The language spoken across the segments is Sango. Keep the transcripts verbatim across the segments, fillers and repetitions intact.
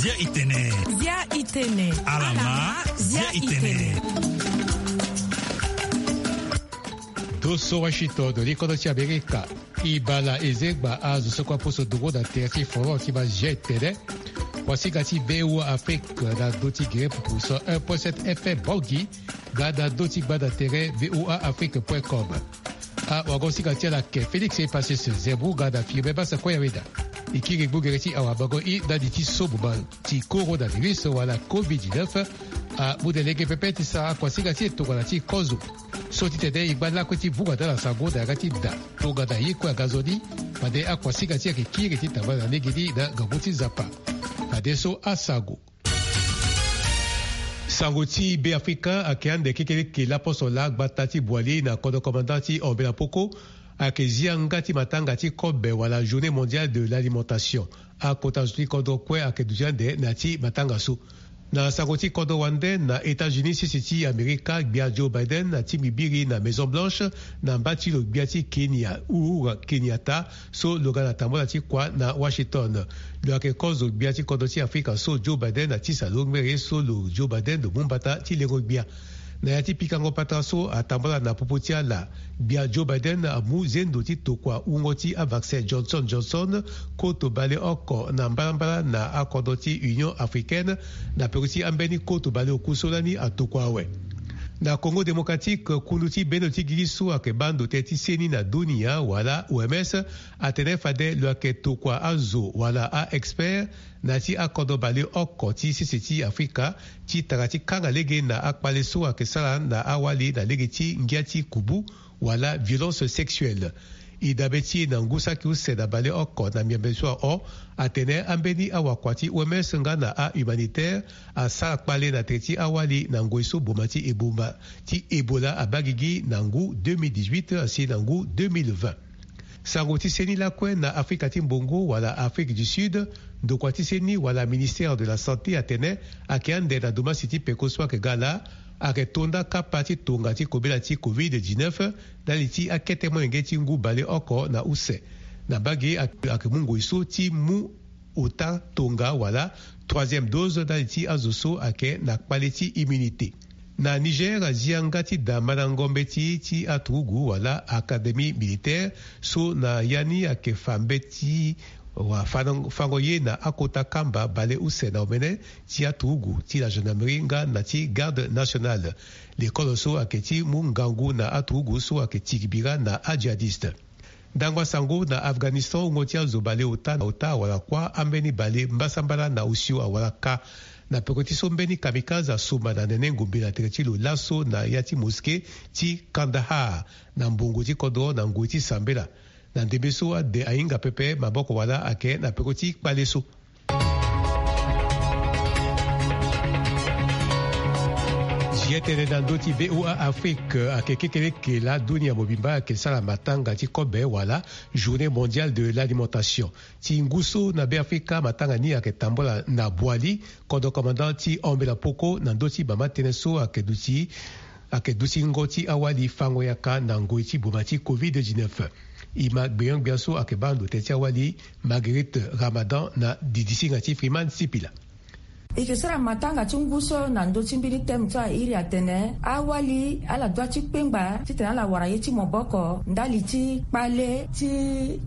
Zia itene. Zia itene. Alama. Zia itene. Doso Washington, do li kodo ti Amerika. I bala ezengba azo so kue aposo dongo na tere ti forum ti ma zia itene. Kuasinga ti V O A Afrique na ndo ti gere pupu so un point sept F M Bangui ga na ndo ti gbanda tere V O A Afrique point com. Awagosinga ti ala ke Félix Epasis Zembu ga na Firmin Basa Koyaweda. E kiri gbu gere ti awabango i ndali ti so mo ma ti coronavirus wala covid dix-neuf. Amu de lege pepe ti sara kuasinga ti e tongana ti kozo. So ti tene e ngba lakue ti vunga na ala sango na yanga ti da tongana ye kue aga nzoni. Fade akuasinga ti e ayeke kiri ti tambala na legeni na ngangu ti Nzapa. Fadeso asango. Sango ti Beafrika ayeke ande kekeleke laposo laa gbata ti Boali na kodro commandant ti Ombela Poko ayeke zi yanga ti matanga ti kobe wala Journée Mondiale de l'Alimentation. Akota zo ti kodro kue ayeke duti ande na ya ti matanga so. Na sango ti kodro wande na États-Unis sese ti Amerika, gbia Joe Biden atingbi biri na Maison Blanche na mba ti lo gbia ti Kenya Uhuru Kenyatta so lo ga na tambola ti kua na Washington. Lo yeke kozo gbia ti kodro ti Afrika so Joe Biden atisa lo ngbere so lo Joe Biden lo mu mbata ti lengo gbia. Na ya ti pikango patara so atambala na popo ti ala, gbia Joe Biden amu zendo ti tokua wungo ti avaccin Johnson Johnson koto baleoko na mbalambala na akodro ti Union Africaine na peko ti ambeni koto baleoku so lani atokua awe. Na Congo Démocratique, kundu ti bendo ti gigi so ayeke baa ndo tënë ti seni na dunia wala O M S atene fade lo yeke tokua azo wala a-expert na ya ti akodro baleoko ti sese ti Afrika ti tara ti kanga lege na akpale so ayeke sara na awali na lege ti ngia ti kubu wala violence sexuelle. E dabe ti e na ngu saki use na baleoko na miambe so ahon atene ambeni awakua ti O M S nga na ahumanitaire asara kpale na tere ti awali na ngoi so boma ti eboma ti Ebola abaa gigi na ngu deux mille dix-huit asi na ngu deux mille vingt. Sango ti seni lakue na Afrika ti Mbongo wala Afrique du Sud, ndokua ti seni wala Ministère de la Santé atene ayeke ande na domasi ti peko so ayeke ga laa, ayeke to nda kapa ti tonga ti kobela ti covid dix-neuf ndali ti akete molenge ti ngu baleoko na use. Na mbage ayeke mu ngoi so ti mu ota tonga wala troisième dose ndali ti azo so ayeke na kpale ti immunité. Na Niger, azi yanga ti da mandango mbeti ti aturugu wala académie militaire so na ya ni ayeke fa mbeti wa fango ye na akota kamba baleuse na omene ti aturugu ti la gendarmerie nga na ti garde nationale. Lekolo so ayeke ti mu ngangu na aturugu so ayeke tigi bira na ajihadiste. Ndangba sango na Afghanistan, wungo ti azo baleota na ota awara kuâ, ambeni bale mbasambala na osio awara kâ. Na peko ti so mbeni kamikaze asomba na nene ngombe na tere ti lo laso na ya ti mosquée ti Kandahar na mbongo ti kodro na ngoi ti sambela. Na ndembe so ade ahinga pepe maboko wala ayeke na peko ti kpale so. Zi tënë na ndö ti V O A Afrique, ayeke kekeleke laa dunia mobimba ayeke sara matanga ti kobe wala Journée Mondiale de l'Alimentation. Ti ngu so na Beafrika matanga ni ayeke tambula na Boali, kodro commandant ti Ombela Poko na ndö ti mama tënë so ayeke duti ayeke dutingo ti awali fango yaka na ngoi ti boma ti covid dix-neuf. E ma gbenyo-gbia so ayeke baa ndo tënë ti awali, Marguerite Ramadan na didisinga ti Freeman Sipila. E yeke sara matanga ti ngu so na ndö ti mbeni thème so a iri atene awali ala dua ti kpengba titene ala wara ye ti maboko ndali ti kpale ti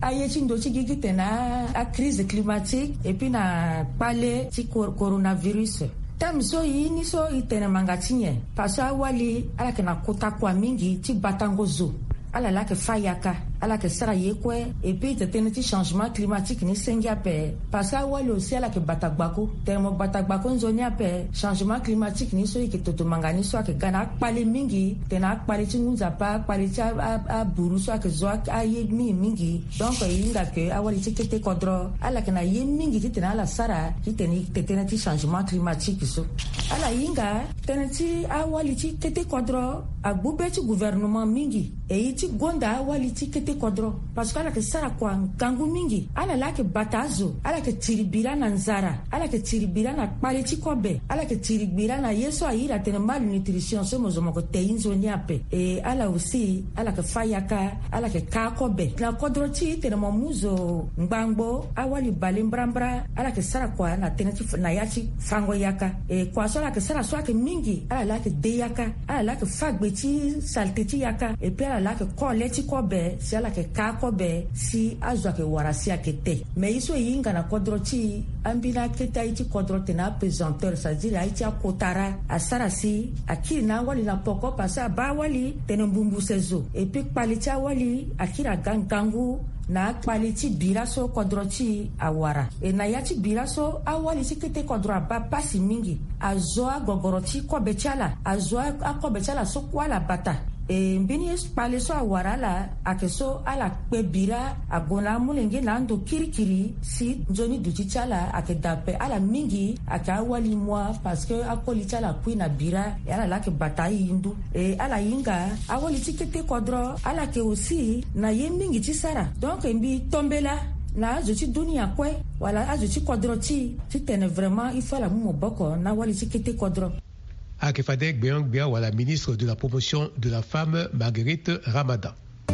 aye ti ndö ti gigi titene a, a crise climatique et puis na kpale ti cor-, coronavirus. Thème so e ni so e tene manga ti nyen? Parce que awali ala yeke na kota kua mingi ti batango zo. Ala laa yeke fâ yaka, ala yeke sara ye kue. Et puis tene ti changement climatique ni senge ape. Parce que awali aussi ala yeke bata gbaku. Tene mo bata gbaku nzoni ape, changement climatique ni so e yeke toto manga ni so ayeke ga na akpale mingi. Tene akpale ti ngu nzapa, akpale ti a, a, aburu so ayeke zo a, aye mingi mingi. Donc e hinga ke awali ti kete kodro ala yeke na ye mingi titene ala sara titene e tene ti changement climatique so. Ala hinga tënë ti awali ti kete kodro agbu be ti gouvernement mingi. E ye ti gonda awali ti kete Kodro, parce que ala yeke sara kua ngangu mingi. Ala laa ayeke bata azo, ala yeke tiri bira na nzara, ala yeke tiri bira na kpale ti kobe, ala yeke tiri bira na ye so a iri atene malnutrition so mo zo mo yeke te e nzoni ape. E ala aussi ala yeke fâ yaka, ala yeke kaa kobe na kodro ti e. Tene mo mu zo ngbangbo, awali bale mbrambra, ala yeke sara kua na tënë ti na ya ti fango yaka. E kua so ala yeke sara so ayeke mingi, ala laa ayeke de yaka, ala laa ayeke fâ gbe ti saleté ti yaka, et puis ala laa ayeke kole ti kobe si ala yeke kaa kobe si azo ayeke wara si ayeke te. Mais ye so e hinga na kodro ti e, ambeni akete aye ti kodro tene apesanteur, c'est-à-dire aye ti akotara, asara si akiri na awali na poko, parce que abaa awali tene mbumbu se zo, et puis kpale ti awali akiri aga ngangu na akpale ti bira so kodro ti e awara. E na ya ti bira so, awali ti kete kodro abaa pasi mingi. Azo agogoro ti kobe ti ala, azo a- akobe ti ala so kue ala bata. E mbeni kpale so awara ala ayeke so ala kpe bira ague na amolenge na ando kirikiri si nzoni duti ti ala ayeke daa ape. Ala mingi ayeke awali mua, parce que akoli ti ala akui na bira, e ala laa ayeke bata aye ndu. E ala hinga awali ti kete kodro, ala yeke aussi na ye mingi ti sara. Donc e mbi tombela na azo ti dunia kue, wala azo ti kodro ti e, titene vraiment il faut ala mu maboko na awali ti kete kodro. Ayeke fade gbeon-gbia wala ministre de la promotion de la femme, Marguerite Ramadan. E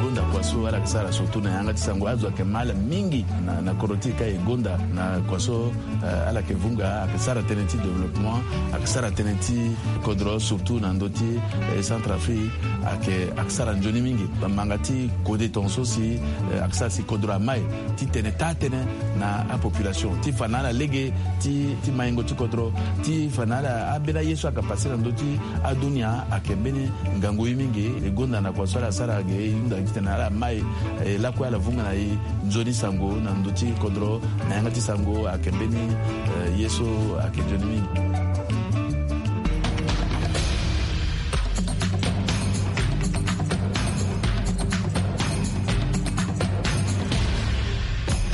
gonda kua so ala yeke sara surtout na yanga ti sango, azo ayeke ma ala mingi na, na kodro ti e ka e gonda na kua so, eh, ala yeke vunga, ayeke sara tënë ti développement, ayeke sara tënë ti kodro surtout na ndö ti, eh, Centrafrique, ayeke, ayeke sara nzoni mingi. Manga ti kode tongaso si, eh, ayeke sara si kodro amai titene taa tënë na apopulation ti fa na ala lege ti, ti maingo ti kodro, ti fa na ala ambeni aye so ayeke pase na ndö ti adunia ayeke mbeni ngangu ye mingi. E gonda na kua so ala sara ge, e hunda titene ala mai, eh, lakue ala vunga na e nzoni sango na ndö ti kodro, na yanga ti sango ayeke mbeni, eh, ye so ayeke nzoni mingi.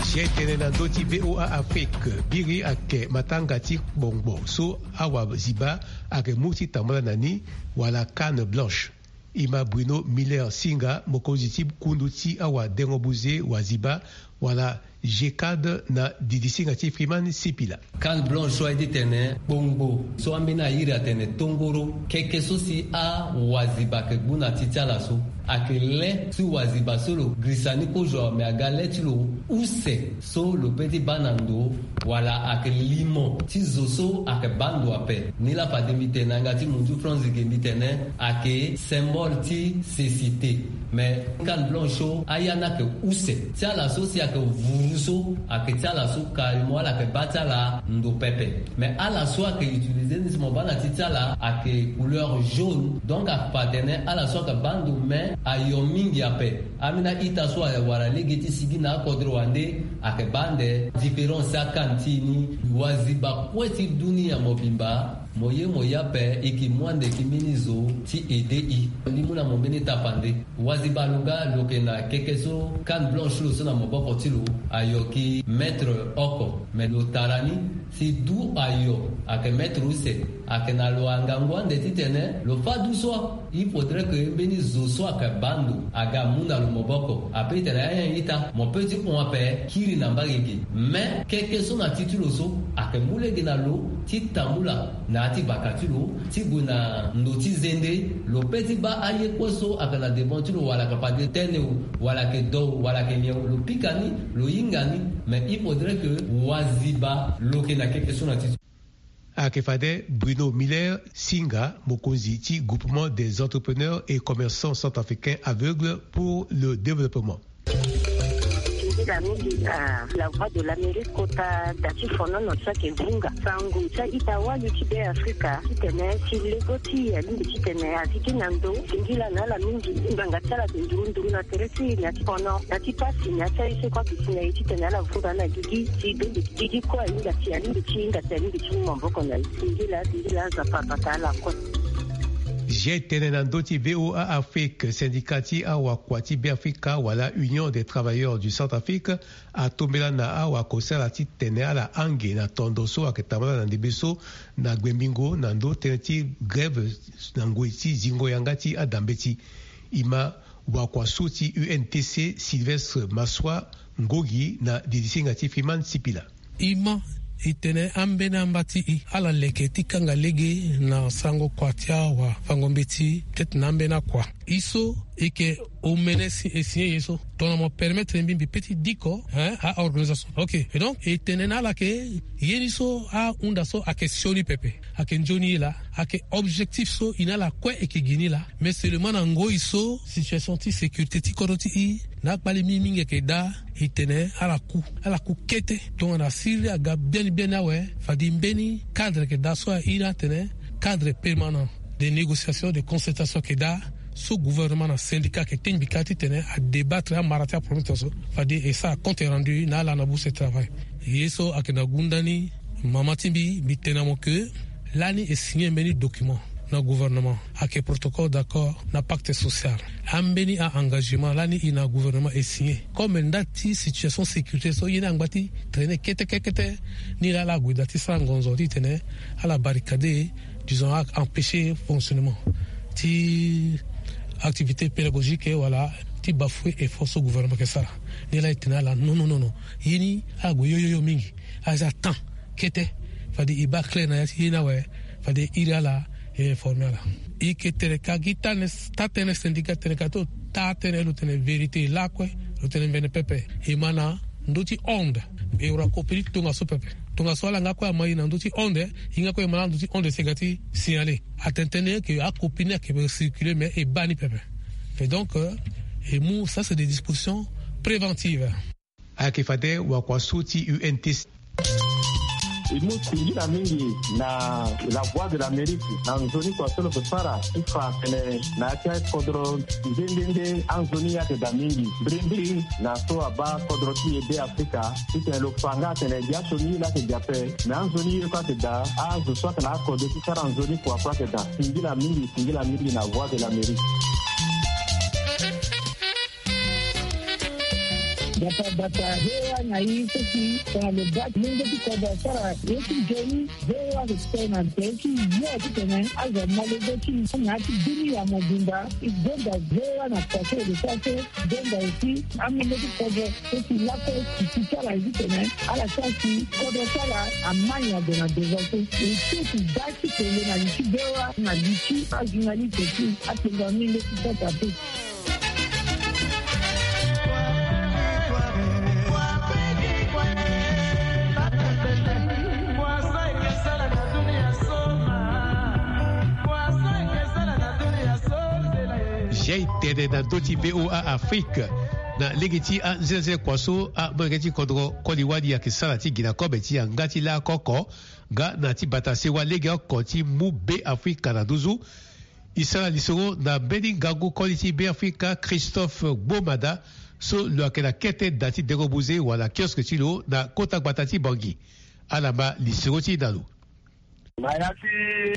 Sietene na ndö ti V O A Afrique, biri ayeke matanga ti kpongbo so awaziba ayeke mu ti tambula na ni, wala canne blanche. E ma Bruno Miller Singa, mokonzi ti kundu ti awadengo buze waziba, wala G cad, na didisinga ti Freeman Sipila. Canne blanche so aye titene kpongbo so ambeni airi atene tongoro, keke so si awaziba ayeke gbu na ti ti ala so. Ayeke le si waziba so lo girisa ni kozo awe, me aga le ti lo use so lo pe ti baa na ndo, wala ayeke limo ti zo so ayeke baa ndo ape. Ni laa fade mbi tene na yanga ti munzu France ge mbi tene ayeke symbole ti cécité. Me canne blanche so aya ni ayeke use ti ala so si ayeke vuru so, ayeke ti ala so carrément ala yeke baa ti ala ndo pepe. Me ala so ayeke utiliser ni si mo baa na ti ti ala ayeke couleur jaune. Donc ayeke fa atene ala so ayeke baa ndo, me ayo mingi ape. Ambeni a-ita so awara lege ti sigi na akodro wande ayeke baa ande. Différence ti acanne ti e ni, waziba kue ti dunia mobimba, mo ye mo ye ape, e ke mu ande e ke mbeni zo ti aide e. Mbi mu na mo mbeni tapande. Waziba lo ga lo yeke na keke so canne blanche ti lo so na maboko ti lo, ayo ke mètre oko. Me lo tara ni si du ayo ayeke mètre use, ayeke na lo angangu ande titene lo fâ du so. Il faudrait que mbeni zo so ayeke baa ndo aga amu na lo maboko. Ape tene ayen ita, mo pe ti hon ape kiri na mbage ge. Me keke so na ti ti lo so ayeke mu lege na lo ti tambula na ya ti baka ti lo ti gue na ndo ti zende. Lo pe ti baa aye kue so ayeke na devant ti lo, wala ayeke fade tene o, wala ayeke do o, wala ayeke nyen o, lo pika ni, lo hinga ni. Mais il faudrait que waziba lo yeke na keke so na ti ti. Ayeke fade Bruno Miller Singa, mokonzi ti Groupement des entrepreneurs et commerçants centrafricains aveugles pour le développement. Nzila mingi na La Voix de l'Amérique kota da ti fonono so ayeke vunga sango ti a-ita wali ti Beafrika titene ti lego ti e alingbi titene a zi gi na ndo. Singila na ala mingi ngbanga ti ala ayeke nduru nduru na tere ti e na ti fono na ti pasi na ya ti aye so kue ayeke si na e titene ala vunga na gigi ti bende gigi kue ahinga si alingbi ti hinga si alingbi ti mu maboko na e. Singila singila Nzapa abata ala kue. Ge tene na ndö ti V O A Afrique, syndicat ti awakua ti Beafrika wala Union des travailleurs du Centrafrique atombela na awakosala titene ala hange na tondo so ayeke tambala na ndembe so na gbengbingo na ndö tënë ti grève na ngoi ti zingo yanga ti adambeti. E ma wakua so ti U N T C Sylvestre Massoua Ngogi na dirisenga ti Freeman Sipila. E ma e tene ambeni amba ti e ala leke ti kanga lege na sarango kua ti awafango-mbeti peut-être na ambeni akua. E so e yeke omene si e signé ye so tongana mo permettre mbi mbi pe ti diko hein a organisation. Ok, et donc e tene na ala ke ye ni so ahunda so ayeke sioni pepe, ayeke nzoni ye laa, ayeke objectif so e na ala kue e yeke gi ni laa. Mais seulement na ngoi so situation ti sécurité ti kodro ti e na akpali mingi mingi ayeke daa, e tene ala ku ala ku kete tongana siriri aga biani biani awe. Fade mbeni cadre ayeke daa so aye ni atene cadre permanent de négociation de concertation ayeke daa, so gouvernement na syndicat ayeke tengbi kâ titene adébattre amara ti aproblème ti so. Fade e sara compte rendu na ala na bourse travail. Ye so ayeke na gunda ni mama ti mbi mbi tene na mo ke lani e signé mbeni document na gouvernement ayeke protocole d'accord na pacte social. Ambeni a-engagement lani e na gouvernement e signé comme nda ti situation sécurité so ye ni angba ti traîner kete kete kete. Ni laa ala gue daa ti sara ngonzo titene ala barricade disons a empêcher fonctionnement ti activité pédagogique wala ti bafouer effort so gouvernement ayeke sara. Ni laa e tene na ala non non non non, ye ni ala gue yoyoyo mingi. Aza temps kete. Fade e baa clair na ya ti ye ni awe. Fade e iri ala e informer ala. E yeke tere ka gi taa tënë syndicat tere ka ti lo taa tënë lo tene vérité lakue. Lo tene mbene pepe. E ma na ndö ti onde e wara kopiri ti tongaso pepe. Tongaso ala nga kue ama e na ndö ti onde. E nga kue e ma na ndö ti onde si e ga ti signaler. Atene tënë ke akopiri ni ayeke circuler mais e baa ni pepe. Et donc e mu ça c'est des dispositions préventives. Ayeke fade wakua so ti U N T C. E mu singila mingi na la voix de l'Amérique na nzoni kua so lo yeke sara ti fa tene na ya ti akodro nde nde nde anzoni ye ayeke daa mingi mbirimbiri na so abaa kodro ti e be afrika. Titene lo fa nga atene dia so ni ye laa ayeke dia ape. Me anzoni ye kue ayeke daa azo so ayeke na akode ti sara nzoni kua kue ayeke daa. Singila mingi singila mingi na voix de l'Amérique. Bata bata hewa na i soki tongana lo baa ti lenge ti kodro asara ye ti nzoni. Hewa respect na nze ti yo titene azo amolenge ti na ya ti bini ya mobimba. I gonda hewa na kua so e lo sara so. Gonda aussi amolenge ti kodro soki lakue ti ti sara ye titene ala sara si kodro sara amani ado na devant so. E so ti baa ti kele na li ti hewa na li ti ajournaliste ti atengo amolenge ti sasa pe. Jai tene na ndö ti VOA Afrique. Na lege ti anzenanzena kua so amolenge ti kodro koli wali ayeke sara ti gi na kobe ti yanga ti lako oko nga na ti bata sewa lege oko ti mu Be Afrika na nduzu. E sara lisoro na mbeni ngangu koli ti Be Afrika Christophe Gbomada so lo yeke na kete da ti dengo buze wala kiosque ti lo na kota gbata ti Bangui. Ala ma lisoro ti e na lo. Na ya ti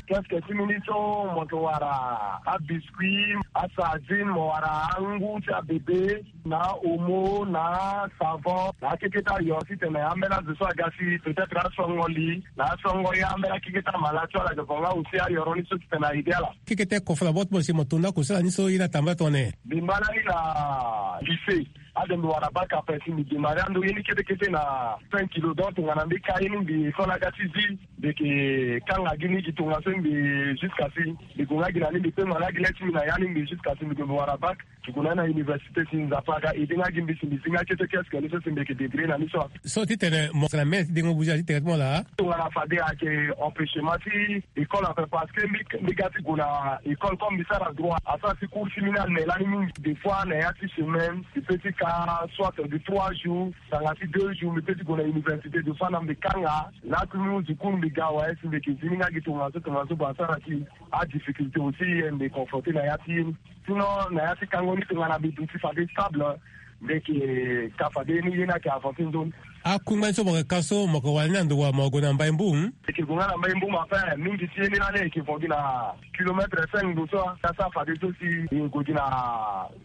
kiosque ti mbi ni so mo yeke wara abiscuit, asardine, mo wara angu ti abebe, na omo, na savon, na akeketa yo titene ambeni azo so aga si peut-être asongo li na asongo ya ambeni akeketa mala ti ala yeke fa nga aussi ayoro ni so titene aide ala. Keketa kofala bot mo si mo tonda kosala ni so ye na tamba tone. Mbi mbala ni na lycée. Ade mbi wara bac après si mbi démarrer ando ye ni kete kete na cinq kilo donc tongana mbi ka ye ni mbi école aga ti zi. Mbi yeke kanga gi ni gi tongaso mbi jusqu'à si mbi gue nga gi na ni mbi pengua nga gi le ti mbi na ya ni mbi jusqu'à si mbi gue mbi wara bac. Ti gue na ni na université si Nzapa aga aidé nga gi mbi si mbi zi nga kete kiosque ni so si mbi yeke débrouiller na ni so. So titene mo yeke na mene ti dengo buze ti tene ti mo laa. Tongana fade ayeke empêchement ti école ape parce que mbi mbi ga ti gue na école comme mbi sara droit asara ti cours ti mbi ni ane lani mingi des fois na ya ti semaine mbi peut ti ka soit de trois jours tanga ti deux jours mbi peut ti gue na université des fois na mbi kanga. Laa ti mbi mu du cours mbi ga awe si mbi yeke zi ni nga gi tongaso tongaso ba asara ti adifficulté aussi ye mbi confronté na ya ti ye ni. Sinon na ya ti kango ni tongana mbi duti fade stable mbi yeke ka fade ye ni ye ni ayeke avancer nzoni. Akungba ni so mo yeke ka so mo yeke wara ni na ndo wa mo gue na Mbai Mbu. E yeke gue nga na Mbai Mbu ma fin mingi ti ye ni lani e yeke vo gi na kilomètre cinq ndo so. Asa fadeso si e gue gi na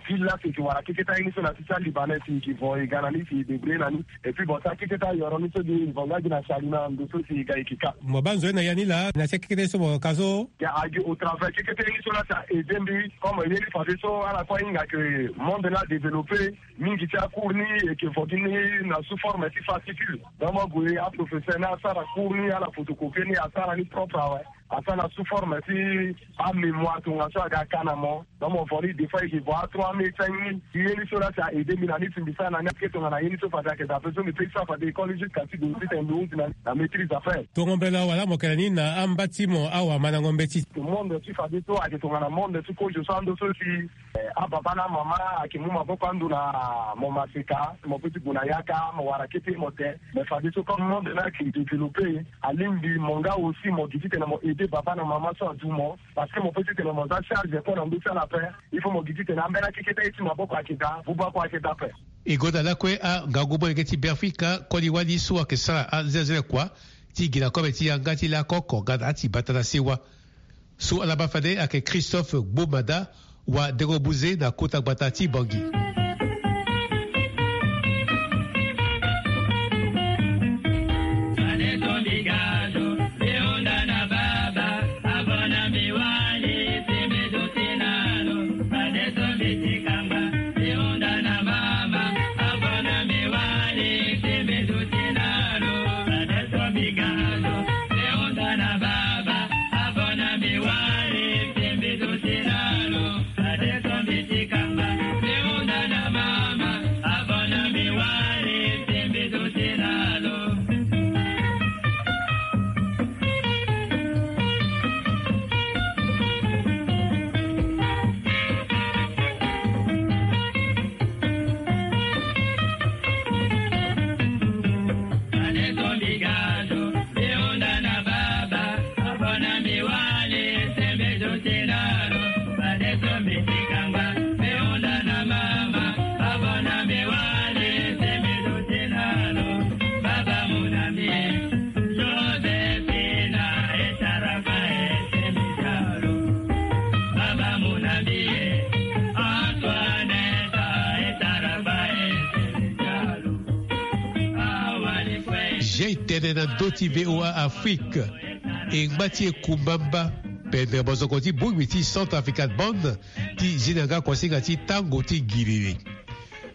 ville la si e yeke wara keketa ye ni so na ti ti alibanais si e yeke vo e ga na ni si e débrouiller na ni. Et puis bon, ti akeketa yoro ni so gi e vo nga gi na sali na ndo so si e ga e yeke ka. Mo baa nzoni na ya ni laa na ti akeketa ye so mo yeke ka so. Ya agi au travers keketa ye ni so laa si a aidé mbi. Comme ye ni fadeso ala kue ahinga ke monde ni adéveloppé. Mingi ti acours ni e yeke vo gi ni na sous forme ti fascicule. Donc mo gue aprofesseur ni asara cours ni ala photocopier ni asara ni propre awe. Asara na sous forme ti amémoire tongaso aga ka na mo. Donc mo vo ni des fois e yeke vo a trois mille cinq mille. Ye ni so laa si a aidé mbi na ni si mbi sara na ni ake tongana ye ni so fade ayeke daa ape so mbi pekisa fade école jusqu'à ti gue ti tene mbi hunzi na ni na maîtrise après. Tongo mbela wala mo yeke na ni na amba ti mo awamandango mbeti. Monde ti fadeso ayeke tongana monde ti kozo so ando so si Eh, ababa na amama ayeke mu maboko ando na mo maseka mo pe ti gue na yaka mo wara kete mo te. Mais fadeso comme monde ni ayeke développé, alingbi mo nga aussi mo gi titene mo aidé baba na mama so adu mo. Parce que mo pe titene mo za charge kue na ndö ti ala ape. Il faut mo gi titene ambeni akeketa ye ti maboko ayeke daa buba kue ayeke daa ape. E gonda lakue angangu molenge ti Beafrika koli wali so ayeke sara anzenze kua ti gi na kobe ti yanga ti lakoko nga na ati bata na sewa. So ala baa fade ayeke Christophe Gbomada, wa dengo buze na kota gbata ti Bangui. Jean tene na ndö ti V O A Afrique. E ngba ti e kumba mba pendere bozoko ti bongbi ti Centrafrican Band ti zi na yanga kuasinga ti tango ti giriri.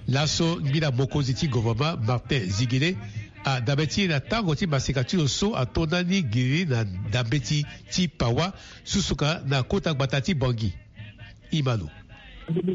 Laso ngbila mokonzi ti gouvernement Martin Zingile adabe ti e na tango ti maseka ti lo so ato ndani giriri na ndambeti ti Pawa, susuka na kota gbata ti Bangui. Imalo. Mbi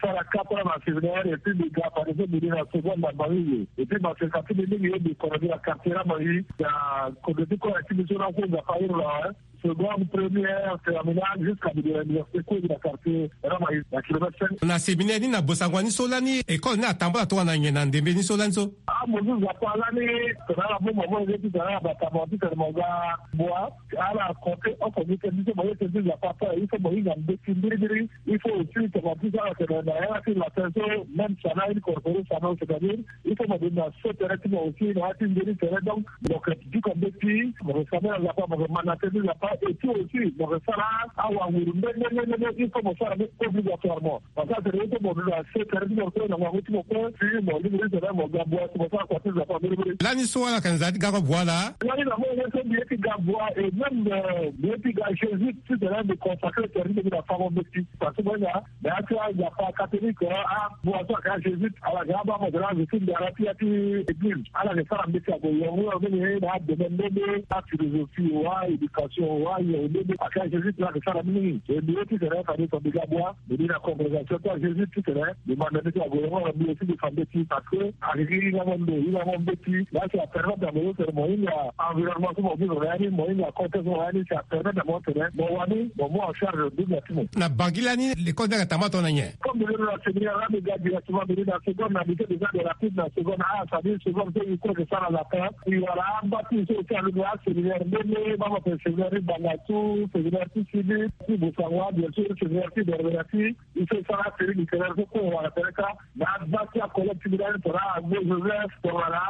sara quatre ans na séminaire et puis mbi ga fadeso mbi ni na seconde na Bangui. Et puis maseka ti mbi mingi ye mbi kono mbi na quartier Ramangi na kodo ti kue ti mbi so na kue Nzapa iri lo awe. Seconde, première, terminale, jusqu'à mbi gue na université kue mbi na quartier Ramangi na kilomètre cinq. Na séminaire ni na bosango ni so lani école ni atambula tongana nyen na ndembe ni so lani so? Ah, mo zi Nzapa lani tongana ala mu mo mo ye ti tongana ala bata mo ti tene mo ga bua. Ala compter oko gi tënë ti so mo ye tënë ti Nzapa ape, il faut mo hinga mbeti mbirimbiri. Il faut aussi tongana ti so ala tene na yanga ti latin so, même sana incorporé sana, c'est-à-dire il faut mo gue na so tere ti mo aussi na ya ti nzoni tere. Donc mo yeke duka mbeti, mo yeke sambela Nzapa, mo yeke ma na tënë ti Nzapa, et puis aussi mo yeke sara awanguru nde nde nde nde, il faut mo sara ni obligatoirement. Parce que atene ye so mo duti na se tere ti mo kue na ngangu ti mo kue si mo lingbi ti tene mo ga bua si mo sara kua ti Nzapa mbirimbiri. Lani so ala yeke na nzara ti ga bua laa? Lani na mo ye so mbi ye ti ga bua et même, euh, mbi ye ti ga jésuite titene mbi consacré tere ti mbi na fango mbeti. Parce que mo hinga na ya ti aNzapa catholique, ah, abua so ayeke ajésuite ala yeke abaa mo tene azo ti ndara ti ya ti église ala yeke sara mbeti ague yongo yongo mingi na adomaine nde nde, aphilosophie o, aéducation o, aye o nde nde ayeke ajésuite la ayeke sara mingi. E mbi ye titene fade so mbi ga bua. Mbi ni na congrégation ti ajésuite titene mbi manda mbeti ague yongo na mbi aussi mbi fa mbeti parce que ayeke gi ngangu. Ndo ila mo mbeti la si apermettre na mo so tene mo hinga environnement so mo vivre na ya ni, mo hinga contexte so mo na ya ni, si apermettre na mo tene mo wani mo mu en charge double ya ti mo. Na bangi lani lekole ni ayeke tambula tongana nyen? Comme mbi londo na séminaire la, mbi ga directement mbi londo na seconde, na lycée déjà de rapide na seconde, ah, ça dit seconde so i croit que ça na lapin i wara ambati so oti alondo aséminaire mbeni baba pe séminaire ti Bangassou, séminaire ti Sidi, ti Bossangoa, bien sûr séminaire ti Berbera ti. I so i sara série littéraire so kue wala tene ka na aza ti acollègue ti mbi lani tongana Agbo Joseph, tongana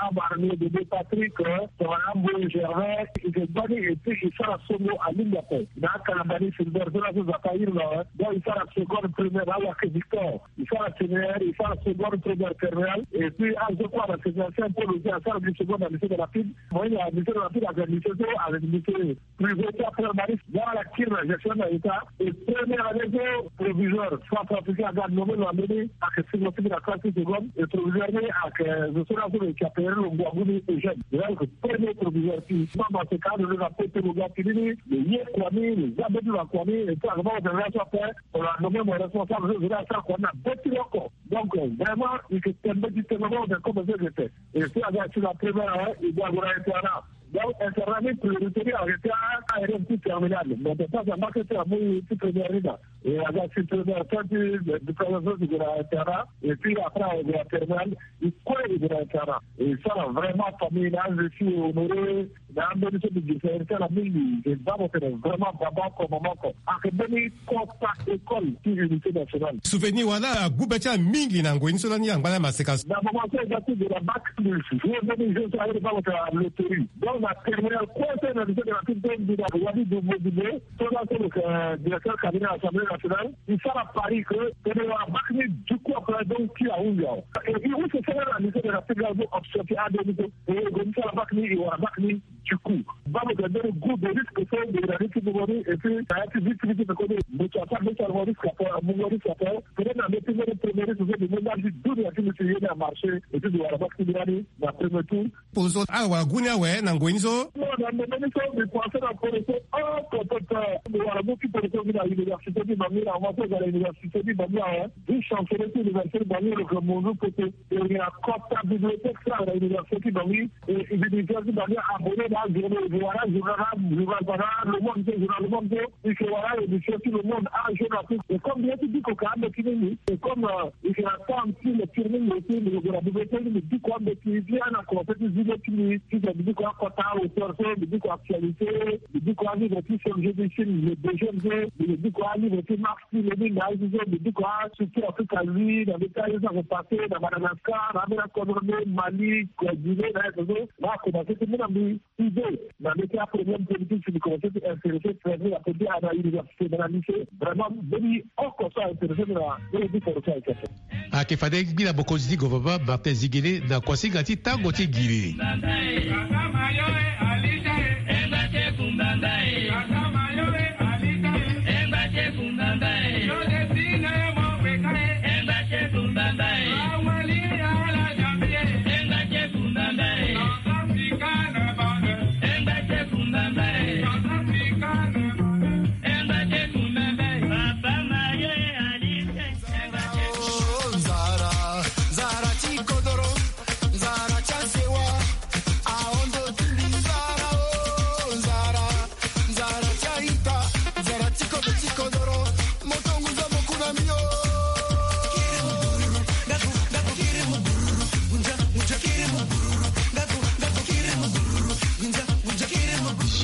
Abarmio Bébé Patrick, tongana Mboye Gervais, i ke gbani et puis i sara songo alingbi ape. Na akalambani Filbert so laso Zapa ahiri lo awe, donc i sara seconde première na Wake Victor. I sara séminaire, i sara seconde première terminale et puis azo kue na séminaire Saint Paul aussi asara gi seconde na lycée de la Pine. Mo ye na lycée de la Pine avec lycée so avec lycée privé ti apre mari. Nga ala kiri na gestion na état et première année so proviseur centrafricain aga nommé lo ambeni ayeke singlo ti mbi na classe ti seconde et proviseur ni ayeke zo so laso lo yeke apelere lo ngu agu ni Eugène. Lo yeke premier proviseur ti mama seka alo lo na pote lo ga ti ni ni lo ye kua ni lo za mbeti lo na kua ni et puis ayeke mama seka laso ape. Lo na nommé mo responsable so zo ni asara kua ni na be ti lo oko. Donc vraiment i yeke tene mbeti tene mama seka comme so yeke tene. Et puis aga ti la première année i ga gue na internat. Donc internat ni priorité ni ayeke ti a-élève ti terminale mais de temps en temps ke ti amu ti première ni na. Et aga ti première fin ti diplôme so ti gue na internat et puis après ague na terminale. I kue i gue na internat et i sara vraiment famille na anze ti honoré na ambeni so mbi gi sa iri ti ala mingi. Mbi baa mo tene vraiment baba oko mama oko ayeke mbeni kota école ti unité nationale. Souvenir wala agu be ti ala mingi na ngoi ni so lani angba lani maseka so. Na moment so e ga ti gue na bac plus jour mbeni jour so aye baa mo tene na loterie. Donc na terminale kue so na lycée de la Pine so mbi na wani dubo dubo so laso lo yeke directeur cabinet assemblée nationale. I sara pari ke tene wara bac ni du coup après donc ti ahunzi awe. Et i use sara na lycée de la Pine so option ti ade ni so. E gue ni sara bac ni i wara bac ni. Du coup baa mo tene mbeni goût de risque so mbi na ni ti mungo ni et puis na ya ti vie ti mbi ti peko ni mbi ti asara mbi ti sara mo risque ape mungo risque ape. Peut-être na mbi ti mbeni premier risque so mbi mu nda ti dunia ti mbi ti ye ni amarché et puis mbi wara bac ti mbi lani na premier tour. Pozo ala wara gu ni awe na ngoi ni so. Non na ndembe ni so mbi pense na poro so oko pepe. Mbi wara mu ti poro so mbi na université ti Bangui na moment so mbi ga na université ti Bangui awe. Vice chancelier ti université ti Bangui lo yeke munzu pote. E yeke na kota bibliothèque so ayeke na université ti Bangui. E université ti Bangui abonné na ajournée e yeke wara ajournal na ajournal bana Le Monde so journal Le Monde so. I yeke wara émission ti Le Monde ajournal so e comme mbi ye ti biko ka ambeti mingi e comme. I yeke na temps ti lecture mingi aussi mbi yeke gue na bibliothèque mbi biko ambeti ti ana commencé ti zi le ti mbi ti mbi biko akota auteur so mbi biko actualité mbi biko alivre ti Serge Bichim le deuxième so mbi biko alivre ti Marx ti Lénine na aye so mbi biko astructure Afrique azi na mbi ti aye so ayeke passé na Madagascar na ambeni akodro nde Mali Guinée na aye so so na akomanse ti mu na mbi. Idée na mbi ti aproblème politique si mbi commencé ti intéressé très bien na politique ana université na na lycée vraiment mbeni oko so aintéressé mbi na mbeni biforo so ayeke ape. Ayeke fade ngbi na mokonzi ti gouvernement Martin Zingele na kuasinga ti tango ti ngiri.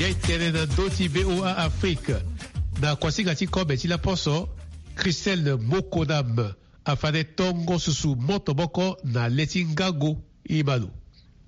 Jai tene na ndö ti V O A Afrique. Na kuasinga ti kobe ti laposo, Christelle Mokonam afade tongo susu moto moko na le ti ngago. Imalo.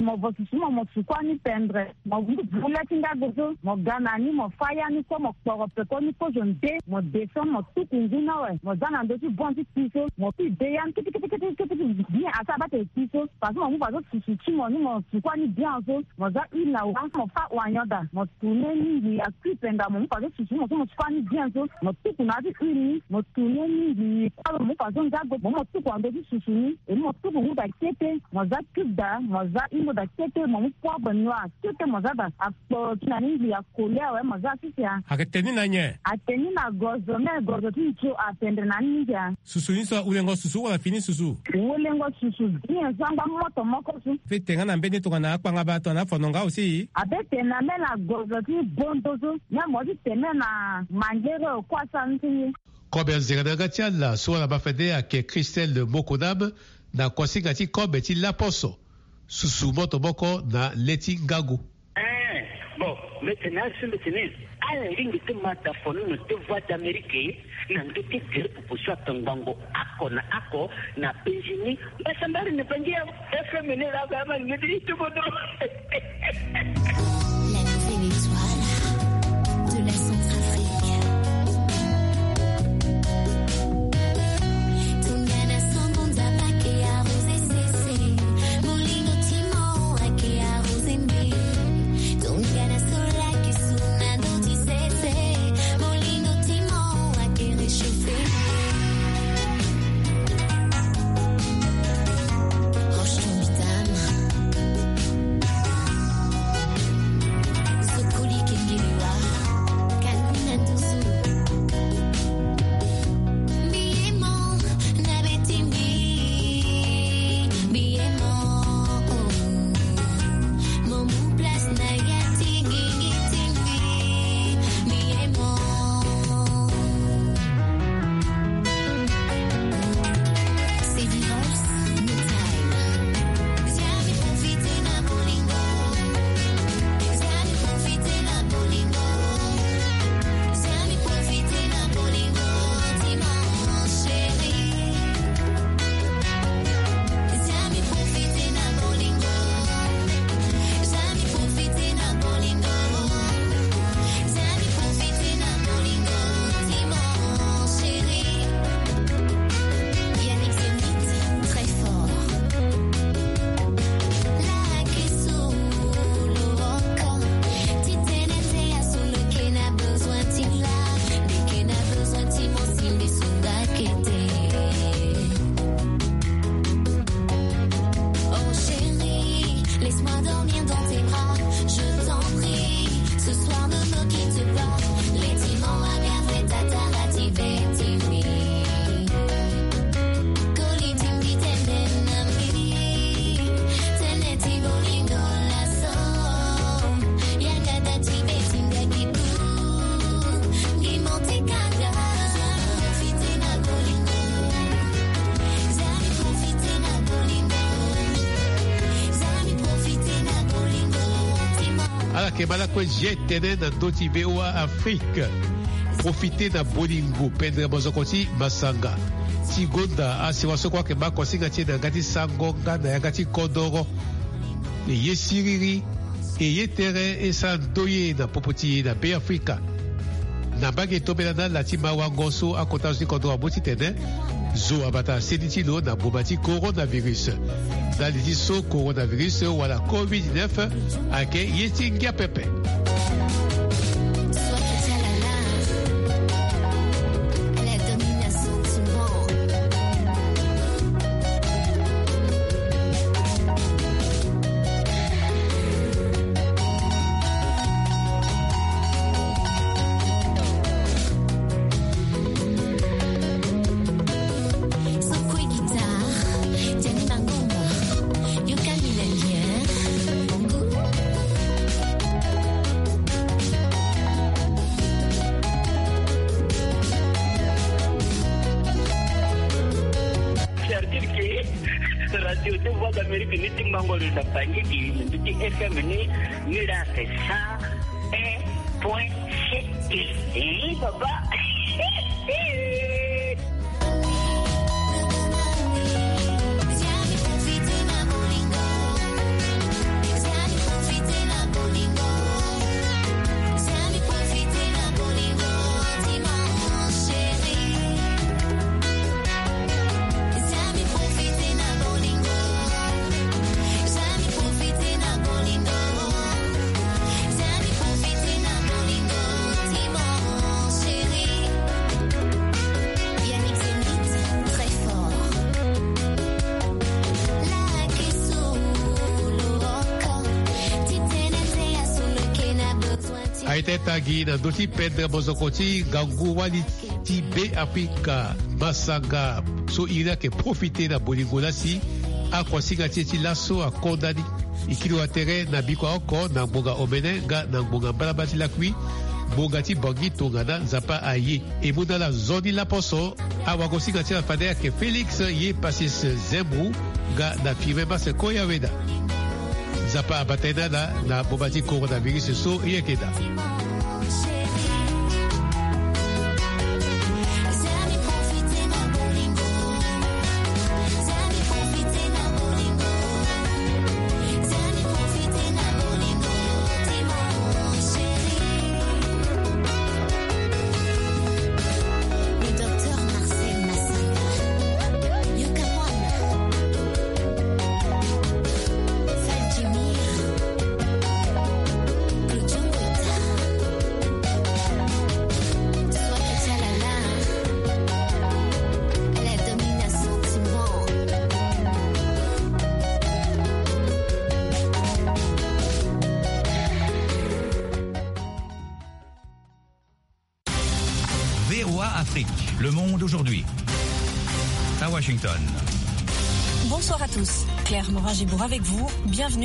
Mo vo susu mo mo sukua ni pendre mo vu le ti ngago so mo ga na ni mo fa ya ni kue mo kporo peko ni kozo nde mo descend mo tuku ngu ni awe mo za na ndö ti bon ti kpi so mo pi de ya ni kiti kiti kiti kiti bien asa abate kpi so. Parce que mo mu faso susu ti mo ni mo sukua ni bien so mo za huile na wa mo fa wanyoda mo tourne ni ngi akui penda mo mu faso susu mo so mo sukua ni bien so mo tuku na ya ti huile ni mo tourne ni ngi kue mo mu faso ngago mo mu mo tuku na ndö ti susu ni. E ni mo tuku ngu da kete mo za cube da mo za ingo. Daa kete mo mu poids noir, kete mo za daa akpo ti na ni ngi ya koli awe mo za sisi ya. Ayeke te ni na nyen? Ate ni na gozo, me gozo ti nzo apendre na ni ngi ya. Susu ni so ahulengo susu wala fini susu? Hulengo susu bien so angba moto moko so. Fete nga na mbeni tongana akpanga baa tongana afono nga aussi. Abe tene na me na gozo ti bondo so, me mo ti tene na mangere okua sa ni ti ye. Kobe anzere na yanga ti ala so wala mafende ayeke Christelle Mokonam, na kuasinga ti kobe ti laposo. Susu moto moko na le ti ngangu. Eh, bon, mete na asi mete ni. Ala ringi ti mata fono na te Voix d'Amérique, na ndö ti gere popo so atongbango ako na ako na penzi ni. Mbasambari na bangi ya F M ni la ba ma ngedi ti bodo. La nouvelle étoile de la Centrafrique. Tongana sango nzapa ke arrosé sese. Molingo ti mo ake arrosé mbe. Tongana sola ke suna ndo ti sese. Molingo ti mo ake réchauffé mbe. Roche ton bidame. Sokoli kengelewa. Kaluna nduzu. Mbiemo na betimbi. Mbiemo. Mo mu place na ya tingi ngi timbi. Mbiemo. C'est Divorce, no time. Viens me profiter na bolingo. Viens me profiter na bolingo. Viens me profiter na bolingo. Dis-moi, mon chéri. Viens me profiter na bolingo. Viens me profiter na bolingo. Viens me profiter na bolingo. Dis-moi, mon chéri. Yannick Zenith, très fort. La ke solo oko. Ti tene te ya solo ke na besoin ti la. Nde ke na besoin ti mo si mbi sunga ke te. Oh chérie, laisse-moi dormir dans tes bras, je t'en prie. Ce soir, ne me quitte pas. Leti mo wa mia feta tara ti be ti mbi. Koli ti mbi tene na mbi. Tene ti bolingo laso. Yanga da ti be ti nga ki bu. Ngi mo ti kanga. Profiter na bolingo. Zami profiter na bolingo. Zami profiter na bolingo. Tima. Ala yeke ma lakue zi tene na ndö ti V O A Afrique. Profiter na bolingo, pendre mozoko ti masanga. Ti gonda asiwa so kue ayeke ma kosinga ti e na yanga ti sango nga na yanga ti kodoro. E ye siriri. E ye tere e sara ndoye na popo ti e na Beafrika. Na mbage tombela na ala ti mawango so akota zo ti kodro amu titene zo abata seni ti lo na boma ti coronavirus. Ndali ti so coronavirus wala covid neuf ayeke ye ti ngia pepe. Certitude ke radio de Voix d'Amérique ni ti mango lo na Bangui, ni ti F M ni, ni la c'est cent un point sept. Eh, papa. Aita tangi na ndö ti pendre mozoko ti ngangu wali ti Be Afrika, masanga so iri ayeke profite na bolingo lasi akuasinga ti e ti laso akonda ni. E kiri wa tere na bikua oko na ngbonga omene nga na ngbonga mbalambala ti lakui, ngbonga ti Bangi tongana Nzapa aye. E mu na ala nzoni laposo. Awagosinga ti ala fade ayeke Félix ye Pacis Zembou nga na Firmin Masse Koyaweda. Nzapa abata ye na ala na boma ti coronavirus so e yeke daa. Le docteur Marcel Massanga, Yoka One, Fal Jimmy, Claudio Mboita, Swaka Tchalala, la domination Timon. V O A Afrique, le monde aujourd'hui. À Washington. Bonsoir à tous. Claire Morin-Gibourg avec vous. Bienvenue